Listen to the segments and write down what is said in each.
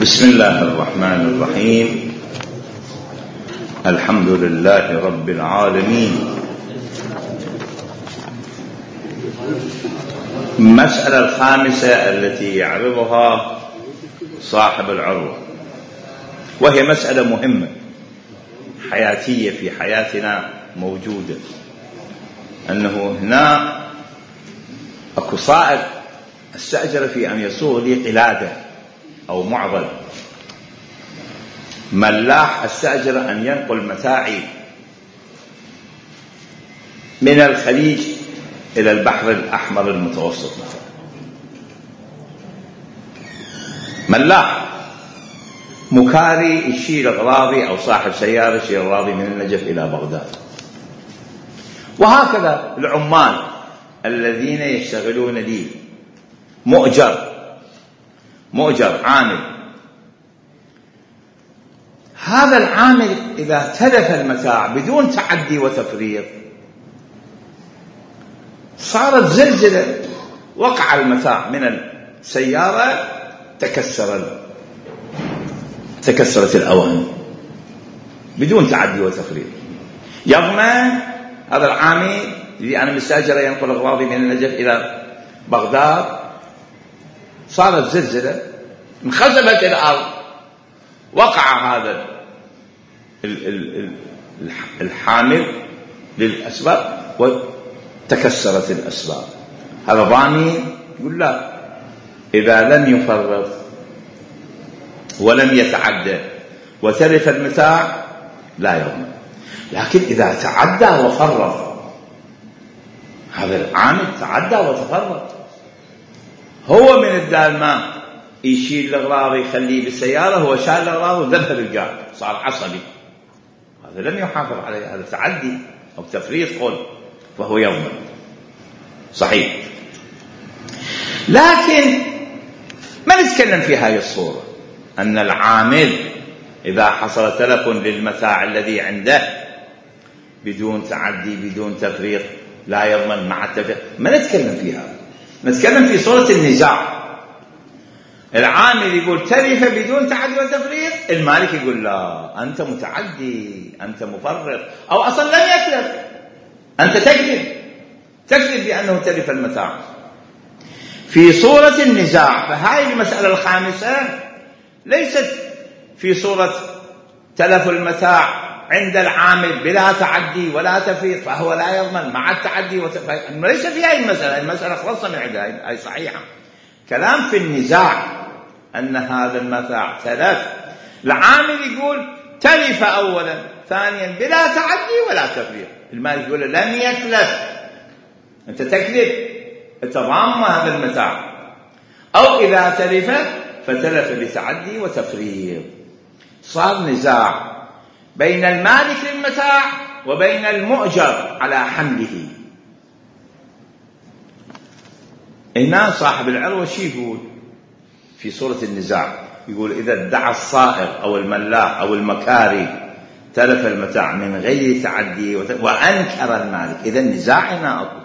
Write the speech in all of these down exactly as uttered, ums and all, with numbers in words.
بسم الله الرحمن الرحيم. الحمد لله رب العالمين. المسألة الخامسة التي يعرضها صاحب العروة، وهي مسألة مهمة حياتية في حياتنا موجودة، أنه هنا أكو صائغ استأجر في أن يصوغ لي قلادة أو معضل، ملاح استأجر أن ينقل متاعي من الخليج إلى البحر الأحمر المتوسط مثلا. ملاح مكاري يشيل أغراضي أو صاحب سيارة يشيل أغراضي من النجف إلى بغداد. وهكذا العمال الذين يشتغلون لي، مؤجر مؤجر عامل. هذا العامل إذا تلف المتاع بدون تعدي وتفريط، صارت زلزلة، وقع المتاع من السيارة، تكسر تكسرت الأواني بدون تعدي وتفريط، يضمن هذا العامل اللي أنا مستأجر ينقل أغراضي من النجف إلى بغداد. صارت زلزلة، انخزبت الأرض، وقع هذا الحامل للأسباب وتكسرت الأسباب. هذا ضامن؟ يقول لا، إذا لم يفرط ولم يتعدى وتلف المتاع لا يضمن. لكن إذا تعدى وفرط، هذا العامل تعدى وتفرط، هو من الدالماء يشيل الأغراض يخليه بالسيارة، هو شال الأغراض وذبها بالقاع، صار عصبي، هذا لم يحافظ عليه، هذا تعدي أو تفريط قول، فهو يضمن صحيح. لكن ما نتكلم في هذه الصورة، أن العامل إذا حصل تلف للمتاع الذي عنده بدون تعدي بدون تفريط لا يضمن مع التفريط، ما نتكلم فيها. نتكلم في صورة النزاع. العامل يقول تلف بدون تعدي وتفريط، المالك يقول لا، أنت متعدي، أنت مفرط، أو أصلا لم يتلف، أنت تكذب تكذب بأنه تلف المتاع. في صورة النزاع، فهذه المسألة الخامسة ليست في صورة تلف المتاع عند العامل بلا تعدي ولا تفريط فهو لا يضمن مع التعدي وتفريط، ليس في هذه المسألة. المسألة خلصنا من عندها، أي صحيحة. كلام في النزاع أن هذا المتاع تلف، العامل يقول تلف أولا، ثانيا بلا تعدي ولا تفريط، المالك يقول لم يتلف، أنت تكذب، أنت ضامن هذا المتاع. أو إذا تلف فتلف بتعدي وتفريط. صار نزاع بين المالك للمتاع وبين المؤجر على حمله. هنا صاحب العروة شي يقول في صورة النزاع؟ يقول إذا ادعى الصائغ أو الملاح أو المكاري تلف المتاع من غير تعدي وأنكر المالك، إذا النزاع هنا أقول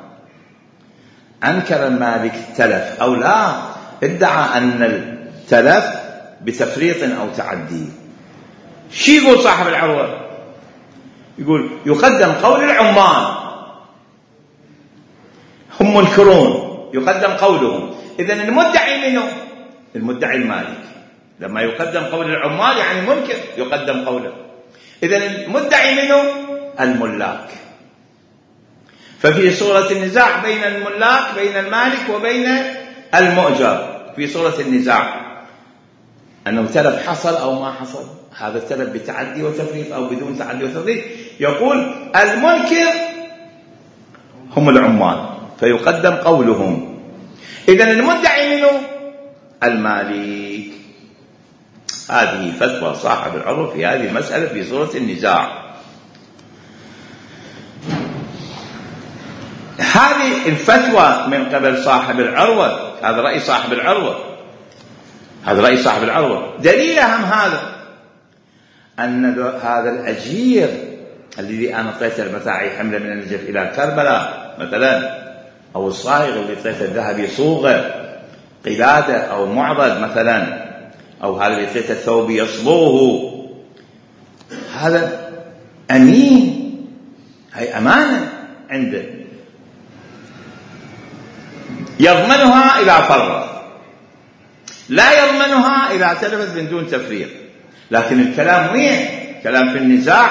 أنكر المالك تلف أو لا، ادعى أن التلف بتفريط أو تعدي. شي يقول صاحب العروة؟ يقول يقدم قول العمال، هم منكرون، يقدم قولهم. إذن المدعي منه المدعي المالك، لما يقدم قول العمال يعني منكر، يقدم قوله. إذن المدعي منه الملاك. ففي صورة النزاع بين الملاك، بين المالك وبين المؤجر، في صورة النزاع أنه تلف حصل أو ما حصل، هذا التلف بتعدي وتفريط أو بدون تعدي وتفريط، يقول المنكر هم العمال فيقدم قولهم. إذن المدعي منه المالك. هذه فتوى صاحب العروة في هذه المسألة في صورة النزاع. هذه الفتوى من قبل صاحب العروة، هذا رأي صاحب العروة، هذا رأي صاحب العروة. دليل أهم هذا أن هذا الأجير الذي أنا أعطيته المتاع حمله من النجف إلى كربلاء مثلا، أو الصائغ اللي أعطيته الذهب يصوغه قلادة أو معضد مثلا، أو هذا بقية الثوب يصبوه، هذا أمين، هي أمانة عنده، يضمنها إذا فرط، لا يضمنها إذا تلفت من دون تفريط. لكن الكلام وين؟ كلام في النزاع،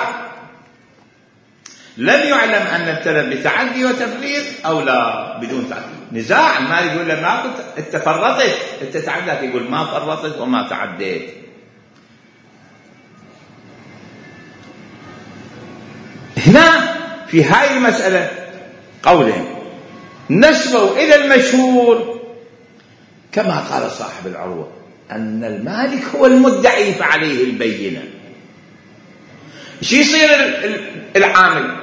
لم يعلم أن التلف بتعدي وتفريط أو لا بدون تعدي. نزاع، المالك يقول له ما كنت انت فرطت، انت تعديت، يقول ما فرطت وما تعديت. هنا في هاي المسألة قولين نسبوا إلى المشهور كما قال صاحب العروة أن المالك هو المدعي فعليه البينة. شو يصير العامل؟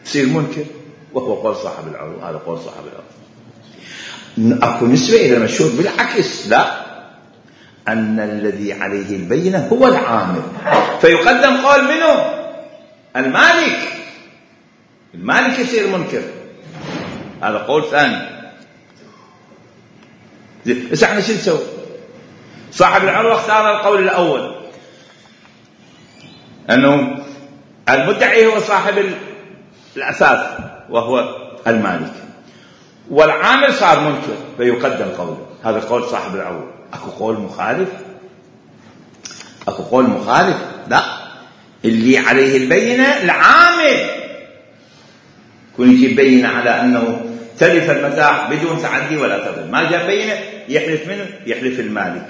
يصير منكر، وهو قول صاحب العروة. هذا قول صاحب العروة. أكو نسبة إلى المشهور، بالعكس لا، أن الذي عليه البينة هو العامل، فيقدم قول منه المالك، المالك يصير منكر. هذا قول ثاني. بس احنا شو نسوي؟ صاحب العروة اختار القول الأول، أنه المدعي هو صاحب الأساس وهو المالك، والعامل صار منكر فيقدم قوله. هذا قول صاحب العروة. أكو قول مخالف؟ أكو قول مخالف؟ لا، اللي عليه البينة العامل، كون يجيب بينة على أنه تلف المتاع بدون تعدي ولا تضل، ما جاء بينة يحلف منه، يحلف المالك.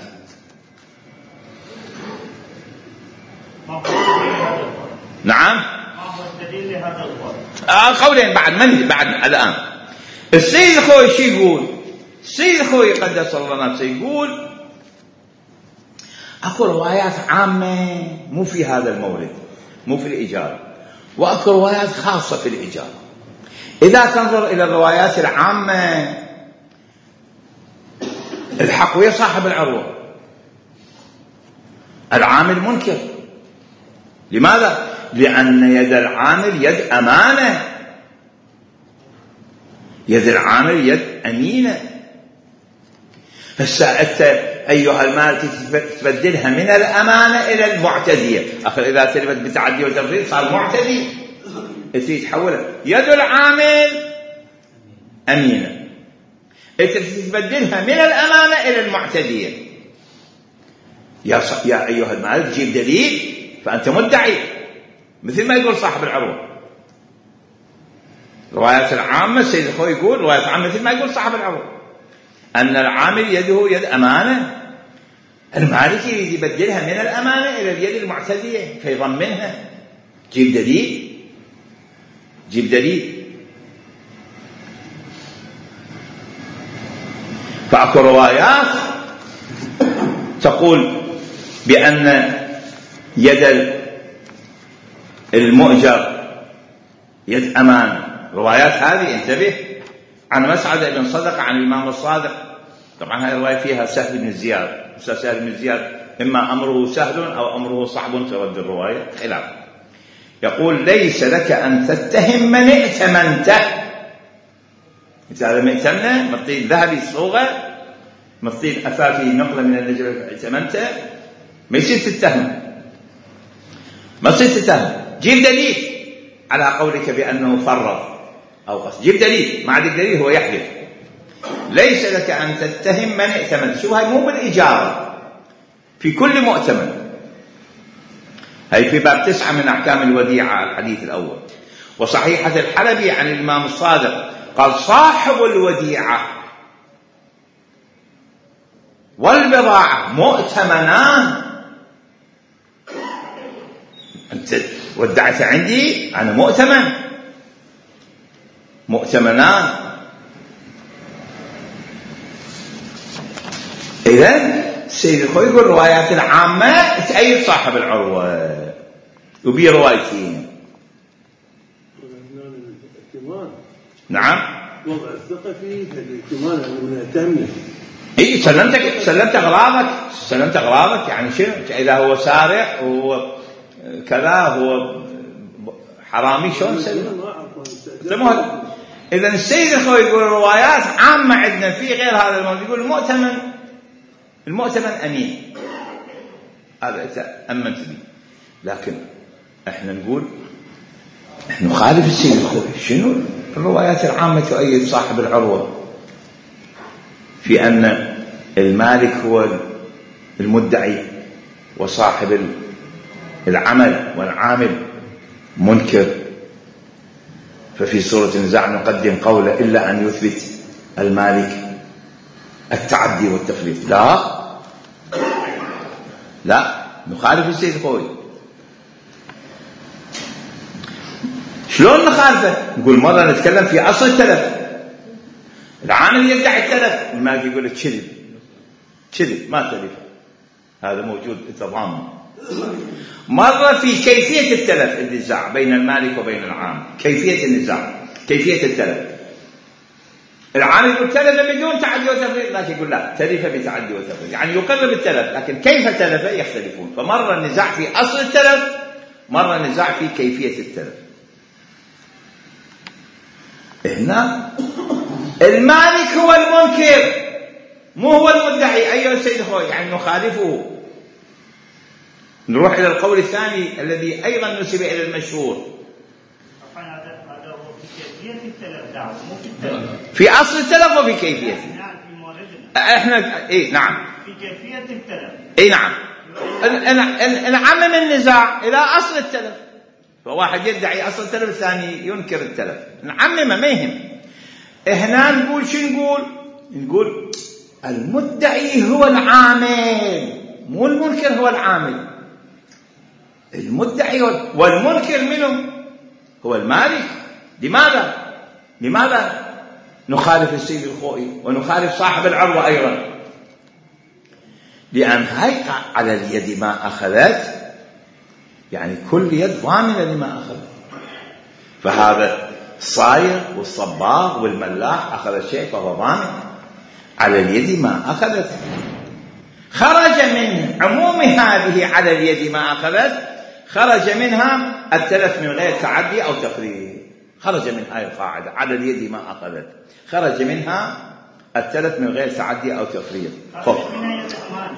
نعم. آه قولين بعد من بعد الآن. السيد الخوي شو يقول؟ السيد الخوي قدس الله نفسه يقول أكو روايات عامة مو في هذا المورد، مو في الإجارة، وأكو روايات خاصة في الإجارة. إذا تنظر إلى الروايات العامة الحق ويا صاحب العروة، العامل منكر. لماذا؟ لأن يد العامل يد أمانة، يد العامل يد أمينة. هسه أنت أيها المالك تبدلها من الأمانة إلى المعتدية. أخر إذا تلفت بتعدي وتفريط صار معتدي، تحولها يد العامل أمينة، تبدلها من الأمانة إلى المعتدية. يا, يا أيها المالك جيب دليل، فأنت مدعي، مثل ما يقول صاحب العروة. روايات العامة السيد الخوي يقول روايات عامة مثل ما يقول صاحب العروة، أن العامل يده يد أمانة، المالك يريد يبدلها من الأمانة إلى اليد المعتدية فيضمنها. جيب دليل، جيب دليل. فأكو روايات تقول بأن يد المؤجر يد أمانة. روايات هذه انتبه، عن مسعد بن صدق عن الإمام الصادق. طبعا هذه الرواية فيها سهل بن زياد، سهل بن زياد إما أمره سهل أو أمره صعب، ترد الرواية خلاف. يقول ليس لك أن تتهم من ائتمنته. هذا مئتمنة مطيل ذهبي صوغة، مطيل أثاثي نقلة من النجرة ائتمنته، ما يصير تتهم، ما يصير تتهم. جيب دليل على قولك بأنه فرط أو قصد، جيب دليل. ما عندك دليل هو يحلف. ليس لك أن تتهم من ائتمن. شو هاي؟ مو بالإجارة، في كل مؤتمن. هاي في باب تسعة من أحكام الوديعة الحديث الأول. وصحيحة الحلبي عن الإمام الصادق قال صاحب الوديعة والبضاعة مؤتمنان. أنت ودعت عندي، أنا مؤتمن، مؤتمنان. إذن السيد الخوي يقول روايات العامة تأيد صاحب العروة، وبي روايتين. نعم. وضع الثقة فيه الائتمان المؤتمن. إيه سلمتك، سلمت أغراضك، سلمت أغراضك. يعني شنو؟ إذا هو سارق هو كذا، هو حرامي، شلون سلمه؟ إذا السيد الخوي يقول روايات عامة عندنا في غير هذا الموضوع. يقول المؤتمن، المؤتمن أمين، هذا أنت أمنت به. لكن احنا نقول احنا نخالف السيد الخوئي. شنو الروايات العامة تؤيد صاحب العروة في أن المالك هو المدعي وصاحب العمل والعامل منكر. ففي سورة النزاع نقدم قوله إلا أن يثبت المالك التعدي والتفريط. لا لا نخالف السيد الخوئي. شلون نخالفه؟ نقول مرة نتكلم في أصل التلف، العامل يدعي التلف، المالك يقول لك كذب كذب ما تلف، هذا موجود تضامن. مرة في كيفية التلف النزاع بين المالك وبين العامل، كيفية النزاع كيفية التلف. العامل يقول تلف بدون تعدي وتفريط، المالك يقول لا تلف بتعدي وتفريط، يعني يقر بالتلف لكن كيف تلف يختلفون. فمرة النزاع في أصل التلف، مرة النزاع في كيفية التلف. هنا المالك هو المنكر مو هو المدعي أيها السيد الخوئي، يعني نخالفه. نروح إلى القول الثاني الذي أيضا نسب إلى المشهور في أصل التلف وفي كيفية. احنا اي نعم في كيفية التلف اي نعم نعمم النزاع إلى أصل التلف. فواحد يدعي أصل التلف الثاني ينكر التلف، نعممه ما يهم. هنا نقول شو نقول؟ نقول المدعي هو العامل مو المنكر هو العامل. المدعي والمنكر منه هو المالك. لماذا؟ لماذا نخالف السيد الخوئي ونخالف صاحب العروة أيضا؟ لأن هاي على اليد ما أخذت، يعني كل يد ضامنة لما أخذت. فهذا الصايغ والصباغ والملاح أخذ شيء فهو ضامن على اليد ما أخذت. خرج من عموم هذه على اليد ما أخذت، خرج منها التلف من غير تعدي أو تفريط. خرج من هذه القاعدة على اليد ما أخذت، خرج منها التلف من غير تعدي أو تفريط. خرج منها يد أمان.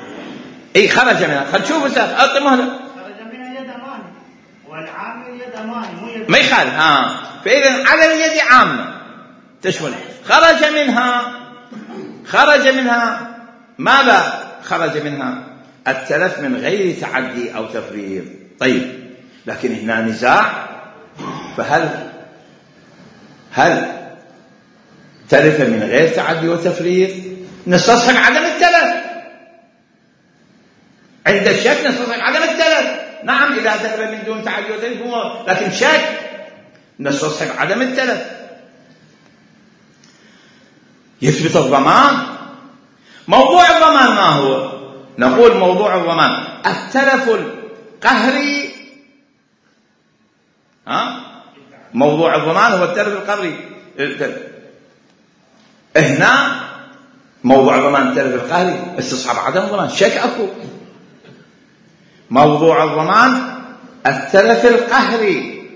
إيه خرج منها. خل تشوف أستاذ أعطي مهلة. خرج منها يد أمان والعامل يد أمان مو يد ما يخالف. ها فإذا على اليد عامة تشمل. خرج منها خرج منها ماذا؟ خرج منها التلف من غير تعدي أو تفريط. طيب لكن هنا نزاع، فهل هل تلف من غير تعدي وتفريط؟ نستصحب عدم التلف. عند الشك نستصحب عدم التلف. نعم إذا تلف من دون تعدي وتفريط، لكن شك نستصحب عدم التلف. يثبت الضمان. موضوع الضمان ما هو؟ نقول موضوع الضمان التلف القهري. ها موضوع الضمان هو التلف القهري. هنا موضوع الضمان التلف القهري، استصحاب عدم الضمان، شك اكو. موضوع الضمان التلف القهري،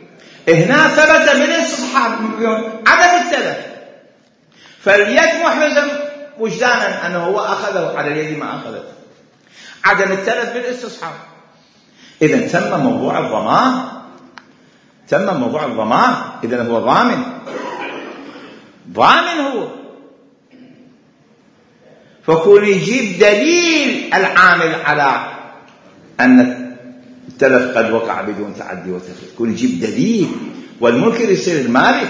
هنا ثبت بالاستصحاب عدم التلف، فاليد محرزة وجدانا أنه هو أخذه على اليد ما أخذت، عدم التلف بالاستصحاب. إذن تم موضوع الضمان، تم موضوع الضمان. إذن هو ضامن، ضامن هو. فكون يجيب دليل العامل على أن التلف قد وقع بدون تعدي وتفريط، كون يجيب دليل، والمنكر يصير المالك.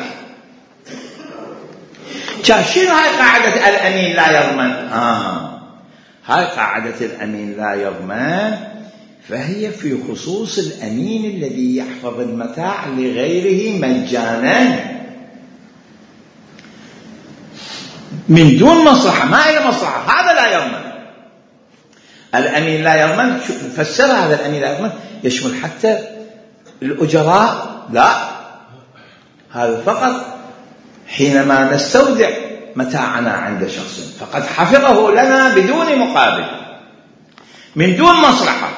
شنو هاي قاعدة الأمين لا يضمن؟ آه هاي قاعدة الأمين لا يضمن، فهي في خصوص الأمين الذي يحفظ المتاع لغيره مجانا من دون مصلحة، ما إلى مصلحة، هذا لا يضمن. الأمين لا يضمن فسر هذا الأمين لا يضمن يشمل حتى الأجراء، لا، هذا فقط حينما نستودع متاعنا عند شخص فقد حفظه لنا بدون مقابل من دون مصلحة،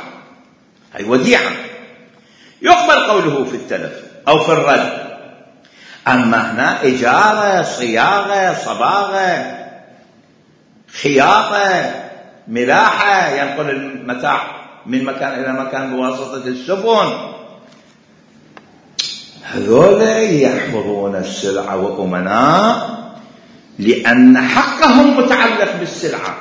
هي وديعة يقبل قوله في التلف أو في الرد. أما هنا إجارة، صياغة، صباغة، خياطة، ملاحة، ينقل المتاع من مكان إلى مكان بواسطة السفن. هذول يحفظون السلعة وأمناء لأن حقهم متعلق بالسلعة،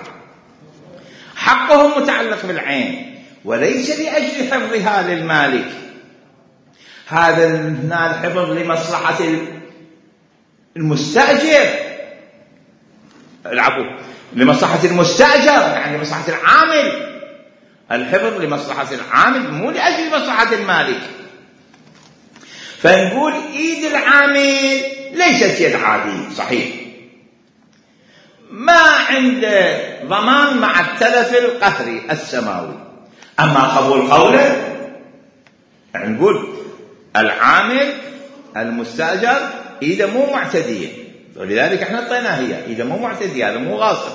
حقهم متعلق بالعين، وليس لأجل حفظها للمالك. هذا هنا الحفظ لمصلحة المستأجر، العفو، لمصلحة المستأجر، يعني لمصلحة العامل. الحفظ لمصلحة العامل مو لأجل مصلحة المالك. فنقول إيد العامل ليست يد عادية، صحيح، ما عنده ضمان مع التلف القهري السماوي. أما قبول قوله نقول العامل المستأجر إذا مو معتدية، ولذلك احنا اعطيناها هي إذا مو معتدية، هذا مو غاصب،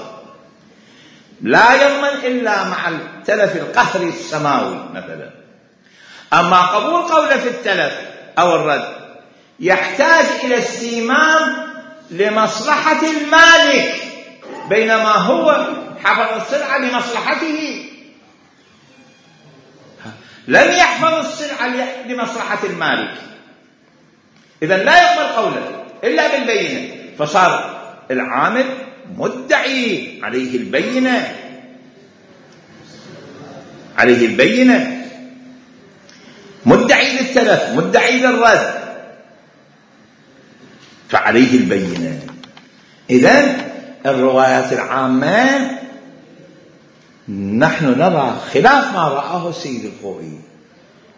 لا يضمن إلا مع التلف القهري السماوي مثلا. أما قبول قوله في التلف أو الرد يحتاج إلى استيمام لمصلحة المالك، بينما هو حفظ السلعة لمصلحته، لم يحفظ السلعة لمصلحة المالك. إذن لا يقبل قوله إلا بالبينة، فصار العامل مدعي، عليه البينة، عليه البينة، مدعي للتلف، مدعي للرد، فعليه البينة. إذن الروايات العامة نحن نرى خلاف ما رآه السيد الخوئي،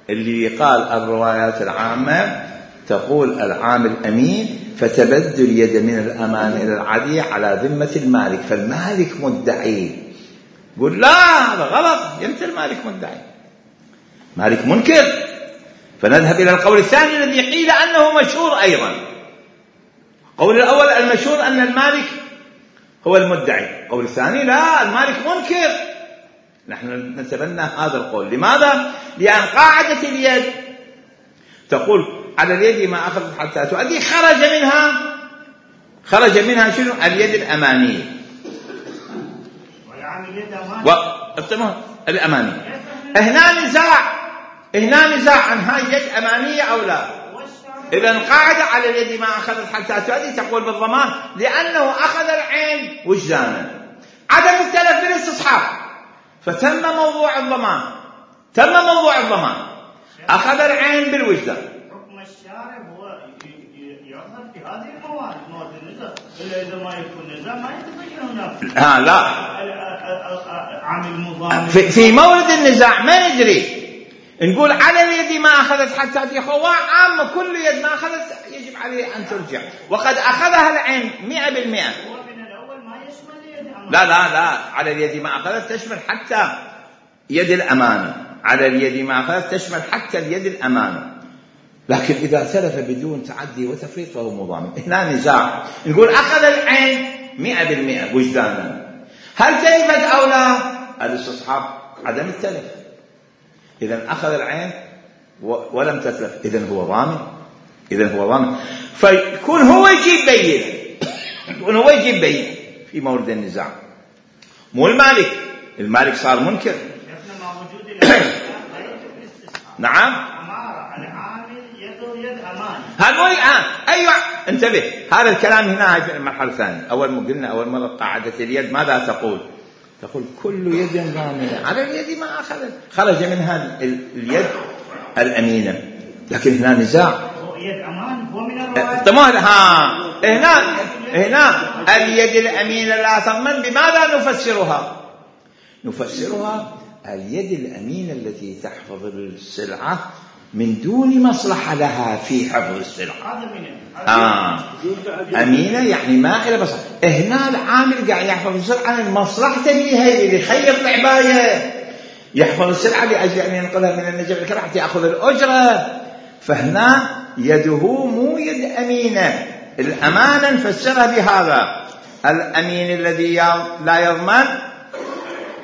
اللي قال الروايات العامة تقول العامل أمين فتبدل اليد من الأمان إلى العادية على ذمة المالك، فالمالك مدعي. يقول لا، هذا غلط، يمتى المالك مدعي؟ مالك منكر. فنذهب إلى القول الثاني الذي قيل أنه مشهور أيضا. القول الأول المشهور أن المالك هو المدعي، القول الثاني لا، المالك منكر. نحن نتبنى هذا القول. لماذا؟ لأن قاعدة اليد تقول على اليد ما أخذت حتى تؤدي، خرج منها خرج منها شنو؟ اليد الأمانية، والعامل الأمانية. هنا نزاع هنا نزاع عن هاي يد أمانية أو لا. إذا القاعدة على اليد ما أخذت حتى تؤدي تقول بالضمان، لأنه أخذ العين وجدانا، عدم التلف بالاستصحاب، فتم موضوع الضمان، تم موضوع الضمان، أخذ العين بالوجدان. حكم الشارع هو يظهر في هذه المواد، مواد النزاع، إلا إذا ما يكون نزاع ما يتبين هناك. ها لا، عامل مضامن في, في مورد النزاع ما ندري، نقول على اليد ما أخذت حتى تخوى عامة، كل يد ما أخذت يجب عليه أن ترجع، وقد أخذها العين مئة بالمئة. هو من الأول ما يشمل يد أمانة. لا لا لا، على اليد ما أخذت تشمل حتى يد الأمانة، على اليد ما أخذت تشمل حتى اليد الأمانة. لكن إذا تلف بدون تعدي وتفريط فهو مضامن. هنا نزاع، نقول أخذ العين مئة بالمئة وجدانا، هل تلفت أو لا؟ الاستصحاب عدم التلف. إذن أخذ العين ولم تتلف، إذن هو ضامن، إذن هو ضامن. فيكون هو يجيب بينة، يكون هو يجيب بينة في مورد النزاع، مو المالك. المالك صار منكر. مع وجود نعم. العامل يده يد أمان. هذول آه أيوة، انتبه، هذا الكلام هنا في المرحلة الثانية. أول ما قلنا أول مرة قاعدة اليد ماذا تقول؟ تقول كل يد ضامنة، على اليد ما أخذت خرج منها اليد الأمينة. لكن هنا نزاع، يد أمان هو من الرواية. تمام. ها هنا هنا اليد الأمينة لا تضمن. بماذا نفسرها؟ نفسرها اليد الأمينة التي تحفظ السلعة من دون مصلحة لها في حفظ السلعة. آه. أمينة يعني ما إلى مصلحة. هنا العامل قاعد يحفظ السلعة عن مصلحته بها، اللي يخيط العباية، يحفظ السلعة لأجل أن ينقلها من النجف الكرة حتى يأخذ الأجرة. فهنا يده مو يد أمينة. الأمانة نفسرها بهذا الأمين الذي لا يضمن،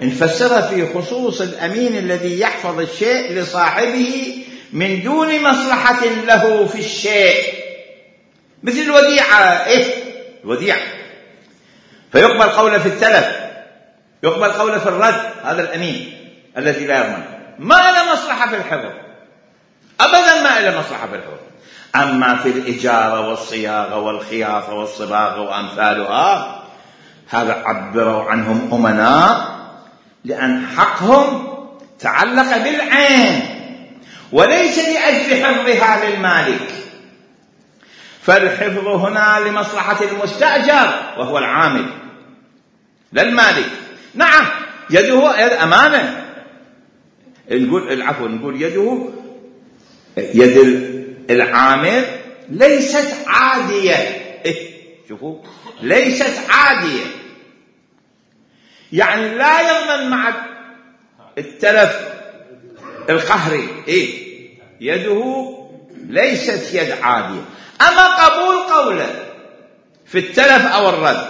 نفسرها في خصوص الأمين الذي يحفظ الشيء لصاحبه من دون مصلحة له في الشيء، مثل الوديعة. إيه الوديعة؟ فيقبل قوله في التلف، يقبل قوله في الرد، هذا الأمين الذي لا يضمن. ما له مصلحة في الحفظ، أبدا ما له مصلحة في الحفظ. أما في الإجارة والصياغة والخياطة والصباغة وأمثالها هذا عبروا عنهم أمناء لأن حقهم تعلق بالعين وليس لأجل حفظها للمالك، فالحفظ هنا لمصلحة المستأجر وهو العامل لا المالك. نعم يده يد أمانة، نقول العفو نقول يده يد العامل ليست عادية. إيه شوفوا ليست عادية، يعني لا يضمن مع التلف القهري. إيه يده ليست يد عادية. أما قبول قوله في التلف أو الرد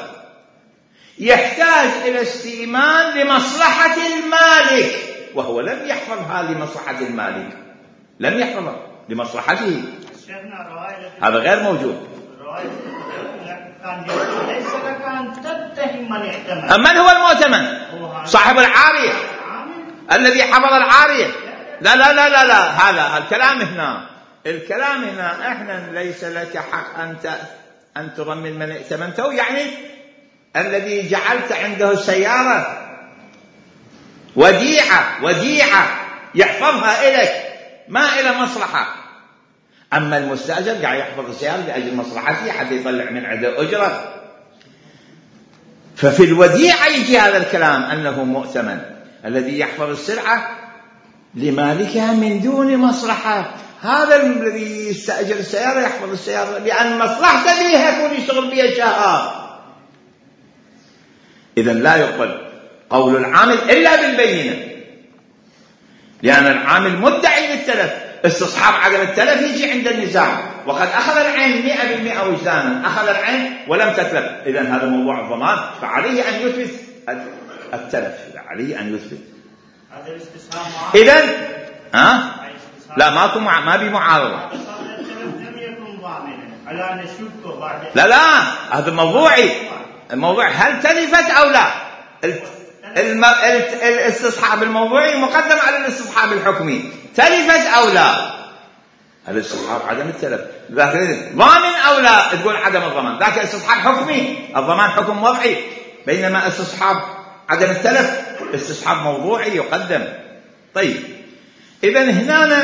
يحتاج إلى استئمان لمصلحة المالك، وهو لم يحفظها لمصلحة المالك، لم يحفظها لمصلحته، هذا غير موجود. من هو المؤتمن؟ صاحب العارية الذي حفظ العارية. لا لا لا لا, لا. هذا الكلام هنا، الكلام هنا احنا ليس لك حق أنت أن تضمن من ائتمنته، يعني الذي جعلت عنده سيارة وديعة وديعة يحفظها إليك ما إلى مصلحة. أما المستأجر قاعد يحفظ السيارة لأجل مصلحته حتى يطلع من عنده أجرة. ففي الوديعة يجي هذا الكلام أنه مؤتمن الذي يحفظ السلعة لمالكها من دون مصلحة. هذا الذي يستأجر السيارة يحفظ السيارة لأن مصلحته بها يكون يشتغل بها شهر. إذن لا يقبل قول العامل إلا بالبينة، لأن العامل مدعي للتلف. استصحاب عدم التلف يجي عند النزاع، وقد أخذ العين مئة بالمئة وجدانا، أخذ العين ولم تتلف. إذن هذا موضوع الضمان، فعليه أن يثبت التلف، عليه أن يثبت. إذن ها لا ماكو مع... ما بي معارضة. لا لا هذا موضوعي. الموضوع هل تلفت أو لا. الم... الاستصحاب الموضوعي مقدم على الاستصحاب الحكمي. تلفت أو لا، الاستصحاب عدم التلف. ضامن أو لا تقول عدم الضمان، ذاك استصحاب حكمي، الضمان حكم وضعي. بينما استصحاب عدم التلف استصحاب موضوعي يقدم. طيب إذن هنا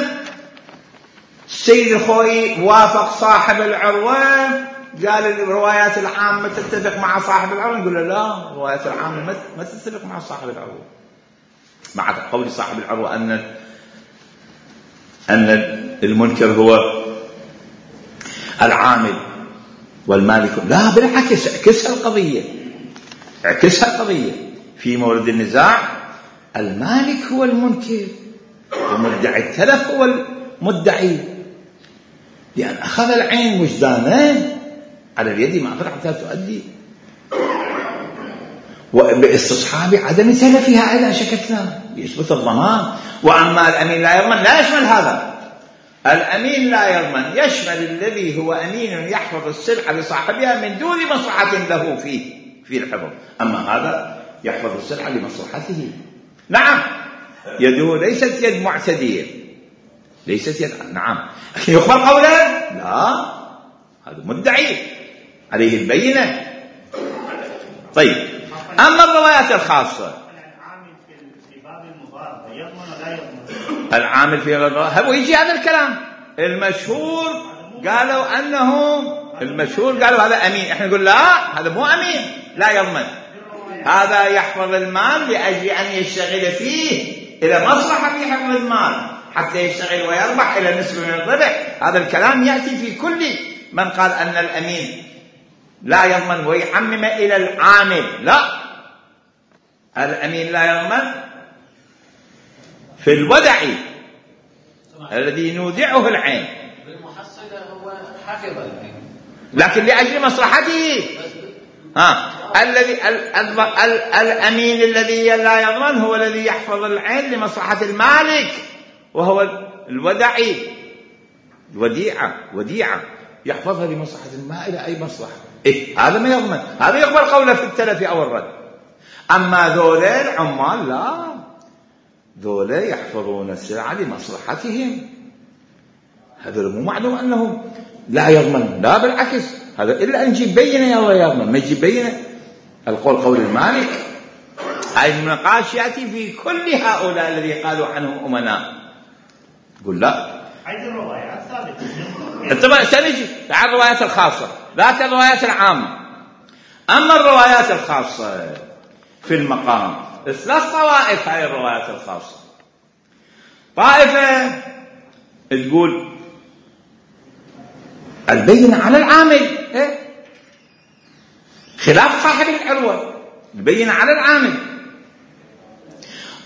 السيد الخوئي وافق صاحب العروة، قال الروايات العامة تتفق مع صاحب العروة. نقول له لا، الروايات العامة ما تتفق مع صاحب العروة، مع قول صاحب العروة أن أن المنكر هو العامل والمالك. لا بالعكس، اعكسها القضية، اعكسها القضية. في مورد النزاع المالك هو المنكر ومدعي التلف هو المدعي، لأن أخذ العين وجدانه على اليد ما أخذ حتى تؤدي، وباستصحاب عدم تلفها أيضا شككنا يثبت الضمان. وأما الأمين لا يضمن لا يشمل هذا. الأمين لا يضمن يشمل الذي هو أمين يحفظ السلعة لصاحبها من دون مصلحة له فيه في الحفظ. أما هذا يحفظ السلعة لمصلحته. نعم يده ليست يد معتدية، ليست يد. نعم يقبل قوله لا، هذا مدعي عليه البينة. طيب أما الروايات الخاصة، العامل في الرواية ويجي هذا الكلام المشهور، قالوا أنه المشهور قالوا هذا أمين. احنا نقول لا، هذا مو أمين، لا يضمن. هذا يحفظ المال لأجل أن يشتغل فيه إلى مصلحة في حفظ المال حتى يشتغل ويربح إلى نسبة من الربح. هذا الكلام يأتي في كل من قال أن الأمين لا يضمن ويعمم إلى العامل. لا، الأمين لا يضمن في الودعي الذي نودعه العين، بالمحصلة هو حفظ العين لكن لأجل مصلحته. ها الذي الأمين الذي لا يضمن هو الذي يحفظ العين لمصلحة المالك، وهو الودعي. وديعة وديعة يحفظها لمصلحة ما إلى أي مصلحة. إيه هذا ما يضمن، هذا يقبل قوله في التلف أو الرد. أما ذول العمال لا، ذولا يحفظون السلعة لمصلحتهم، هذا مو معلوم أنه لا يضمن، لا بالعكس، هذا إلا أن يجيب بينة يا الله يضمن، ما يجيب بينة. القول قول المالك. هاي النقاش يأتي في كل هؤلاء الذي قالوا عنهم أمناء. يقول لا، هذه الروايات ثابتة. طبعا سنجي على الروايات الخاصة، لا الروايات العامة. أما الروايات الخاصة في المقام ثلاث طوائف. هاي الروايات الخاصة، طائفة تقول البينة على العامل، إيه؟ خلاف صاحب العروة، البينة على العامل.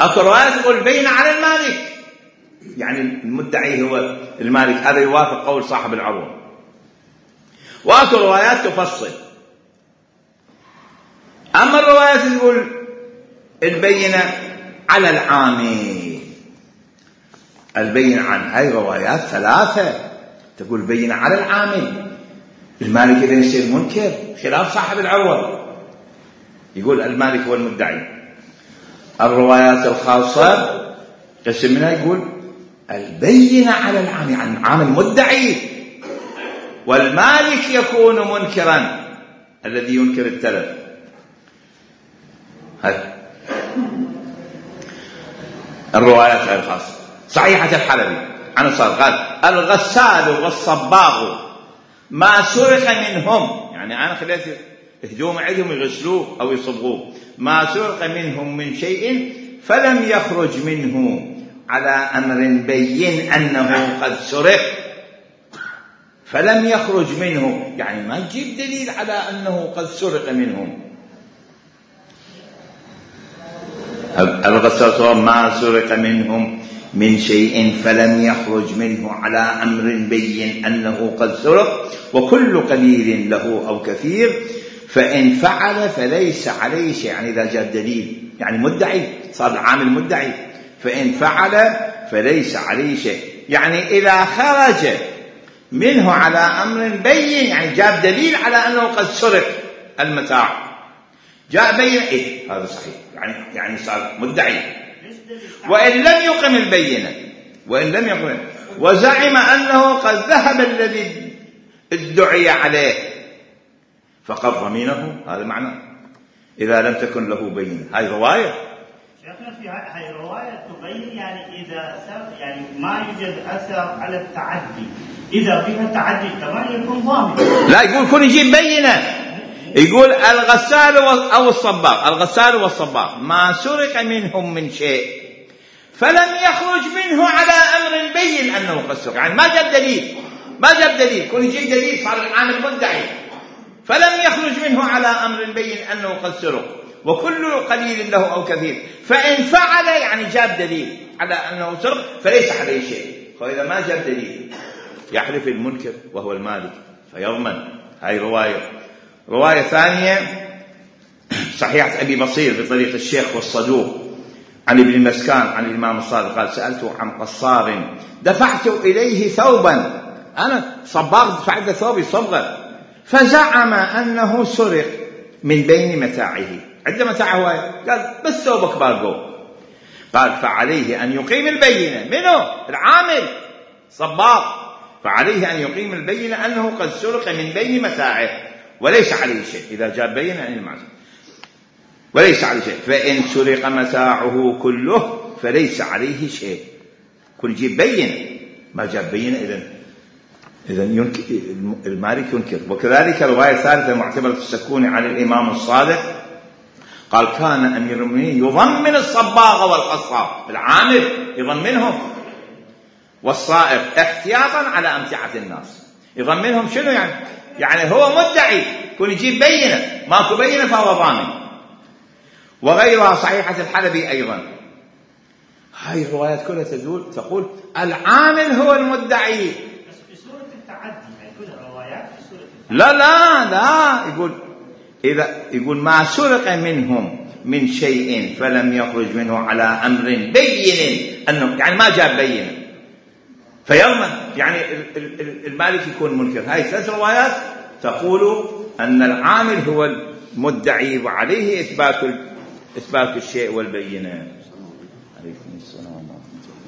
أكو روايات تقول البينة على المالك، يعني المدعي هو المالك، هذا يوافق قول صاحب العروة. وأكو روايات تفصل. أما الروايات تقول البينة على العامل، البينة عن هاي روايات ثلاثة تقول البينة على العامل، المالك إذا يصير منكر خلاف صاحب العروة، يقول المالك هو المدعي. الروايات الخاصة قسم منها يقول البينة على العامل، عن عامل مدعي، والمالك يكون منكرا الذي ينكر التلف. هذا الروايات الخاصة. صحيحة الحلبي عن الصادق قال الغسال والصباغ ما سرق منهم، يعني أنا خليت هجوم عندهم يغسلوه أو يصبغوه، ما سرق منهم من شيء فلم يخرج منه على أمر بين أنه قد سرق، فلم يخرج منه يعني ما يجيب دليل على أنه قد سرق منهم. الغسال ما سرق منهم من شيء فلم يخرج منه على أمر بين أنه قد سرق، وكل قليل له أو كثير فإن فعل فليس عليه شيء، يعني إذا جاء دليل، يعني مدعي صار العامل مدعي، فإن فعل فليس عليه شيء، يعني إذا خرج منه على أمر بين، يعني جاء دليل على أنه قد سرق المتاع، جاء بين إيه هذا صحيح، يعني يعني صار مدعي. وإن لم يقم البينة، وإن لم يقم وزعم أنه قد ذهب الذي ادعي عليه فقد ضمينه، هذا معنى إذا لم تكن له بينة. هاي رواية شيخنا، في هاي الرواية تبين يعني إذا يعني ما يوجد أثر على التعدي، إذا فيها تعدي كمان يكون ضامن. لا، يقول كن يجيب بينة، يقول الغسال أو الصباغ، الغسال والصباغ ما سرق منهم من شيء فلم يخرج منه على أمر بين أنه قد سرق، يعني ما جاب دليل، ما جاب دليل، كن يجيب دليل صار العامل مدعي، فلم يخرج منه على أمر بين أنه قد سرق، وكل قليل له أو كثير فإن فعل، يعني جاب دليل على أنه سرق فليس عليه شيء. فإذا ما جاب دليل يحلف المنكر وهو المالك فيضمن. هاي رواية. رواية ثانية صحيحة أبي بصير بطريق الشيخ والصدوق عن ابن المسكان عن الإمام الصادق قال سألته عن قصار دفعت إليه ثوبا، أنا صباغ دفعت ثوبي صبغة، فزعم أنه سرق من بين متاعه، عند متاعه قال بس ثوبك باقو، قال فعليه أن يقيم البينة منه العامل صباغ، فعليه أن يقيم البينة أنه قد سرق من بين متاعه وليس عليه شيء، إذا جاء بينة عن المعصية وليس عليه شيء، فإن سرق متاعه كله فليس عليه شيء. كل جيب بينة، ما جاب بينة إذن إذن ينكر المالك ينكر. وكذلك رواية ثالثة معتبرة السكوني عن الإمام الصادق قال كان أمير المؤمنين يضمن الصباغ والقصاب، العامل يضمنهم، والصائغ احتياطا على أمتعة الناس. يضمنهم شنو يعني؟ يعني هو مدعي، كون يجيب بينة، ماكو بينة فهو ضامن. وغيرها صحيحة الحلبي أيضا. هاي الروايات كلها تدل تقول العامل هو المدعي. بس في سورة التعدي هاي كلها روايات في سورة التعدي. لا لا لا، يقول إذا يقول ما سرق منهم من شيء فلم يخرج منه على أمر بين أنه، يعني ما جاب بينة فيضمن، يعني المالك يكون منكر. هاي ثلاث روايات تقول أن العامل هو المدعي وعليه إثبات إثبات الشيء والبينة. عليكم السلام ورحمة الله.